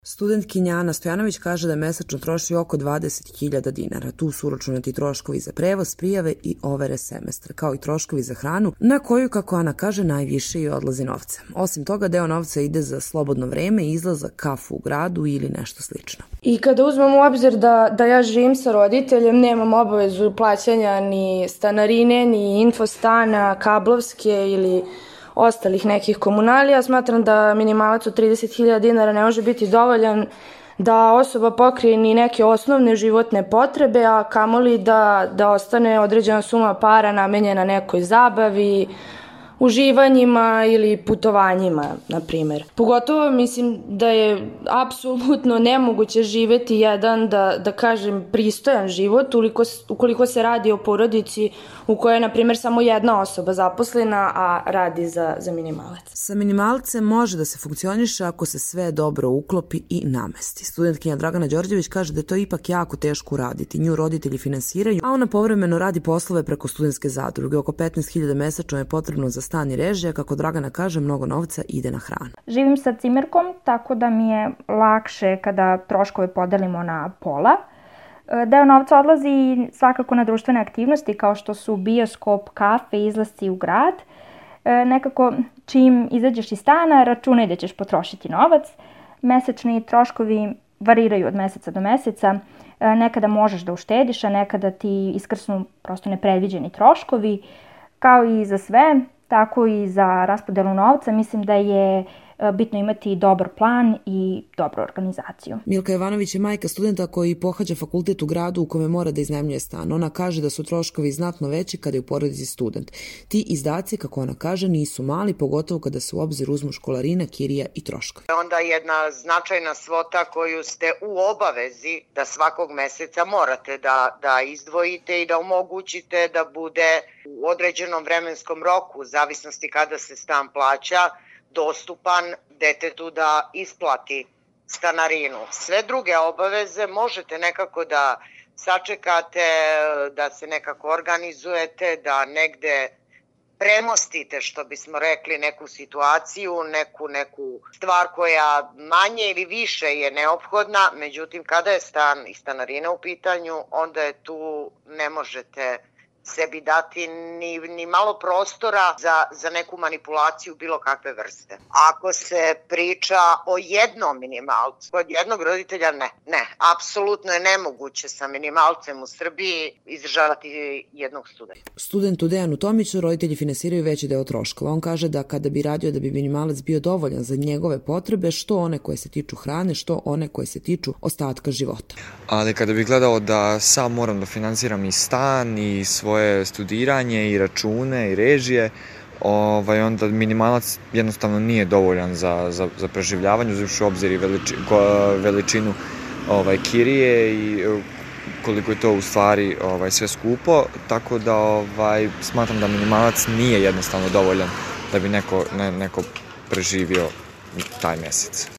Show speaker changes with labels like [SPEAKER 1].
[SPEAKER 1] Studentkinja Ana Stojanović kaže da mesečno troši oko 20.000 dinara. Tu su uračunati troškovi za prevoz, prijave i overe semestra, kao i troškovi za hranu, na koju, kako Ana kaže, najviše i odlazi novca. Osim toga, deo novca ide za slobodno vreme i izlazak, kafu u gradu ili nešto slično.
[SPEAKER 2] I kada uzmem u obzir da ja živim sa roditeljem, nemam obavezu plaćanja ni stanarine, ni infostana, kablovske ili ostalih nekih komunalija, smatram da minimalac od 30.000 dinara ne može biti dovoljan da osoba pokrije ni neke osnovne životne potrebe, a kamoli da ostane određena suma para namenjena nekoj zabavi, uživanjima ili putovanjima, na primjer. Pogotovo mislim da je apsolutno nemoguće živeti jedan, da kažem, pristojan život ukoliko se radi o porodici u kojoj je, na primjer, samo jedna osoba zaposlena, a radi za minimalac.
[SPEAKER 1] Sa minimalcem može da se funkcioniše ako se sve dobro uklopi i namesti. Studentkinja Dragana Đorđević kaže da je to ipak jako teško uraditi. Nju roditelji finansiraju, a ona povremeno radi poslove preko studentske zadruge. Oko 15.000 mesečno je potrebno za stan i režija, kako Dragana kaže, mnogo novca ide na hranu.
[SPEAKER 3] Živim sa cimerkom, tako da mi je lakše kada troškove podelimo na pola. Deo novca odlazi svakako na društvene aktivnosti kao što su bioskop, kafe, izlasci u grad. Nekako čim izađeš iz stana računaj da ćeš potrošiti novac. Mesečni troškovi variraju od meseca do meseca. Nekada možeš da uštediš, a nekada ti iskrsnu prosto nepredviđeni troškovi. Kao i za sve, tako i za raspodelu novca, mislim da je bitno imati dobar plan i dobru organizaciju.
[SPEAKER 1] Milka Jovanović je majka studenta koji pohađa fakultet u gradu u kome mora da iznajmljuje stan. Ona kaže da su troškovi znatno veći kada je u porodici student. Ti izdaci, kako ona kaže, nisu mali, pogotovo kada se u obzir uzmu školarina, kirija i troškovi.
[SPEAKER 4] Onda jedna značajna svota koju ste u obavezi da svakog meseca morate da izdvojite i da omogućite da bude u određenom vremenskom roku, u zavisnosti kada se stan plaća, dostupan detetu da isplati stanarinu. Sve druge obaveze možete nekako da sačekate, da se nekako organizujete, da negde premostite, što bismo rekli, neku situaciju, neku stvar koja manje ili više je neophodna, međutim kada je stan i stanarina u pitanju, onda je tu ne možete sebi dati ni malo prostora za neku manipulaciju bilo kakve vrste. Ako se priča o jednom minimalcu, kod jednog roditelja ne, apsolutno je nemoguće sa minimalcem u Srbiji izdržavati jednog studenta.
[SPEAKER 1] Studentu Dejanu Tomiću roditelji finansiraju veći deo troškova. On kaže da kada bi radio da bi minimalac bio dovoljan za njegove potrebe, što one koje se tiču hrane, što one koje se tiču ostatka života.
[SPEAKER 5] Ali kada bih gledao da sam moram da finansiram i stan i svoje studiranje i račune i režije, onda minimalac jednostavno nije dovoljan za preživljavanje, uzevši u obzir i veličinu kirije i koliko je to u stvari sve skupo, tako da smatram da minimalac nije jednostavno dovoljan da bi neko preživio taj mesec.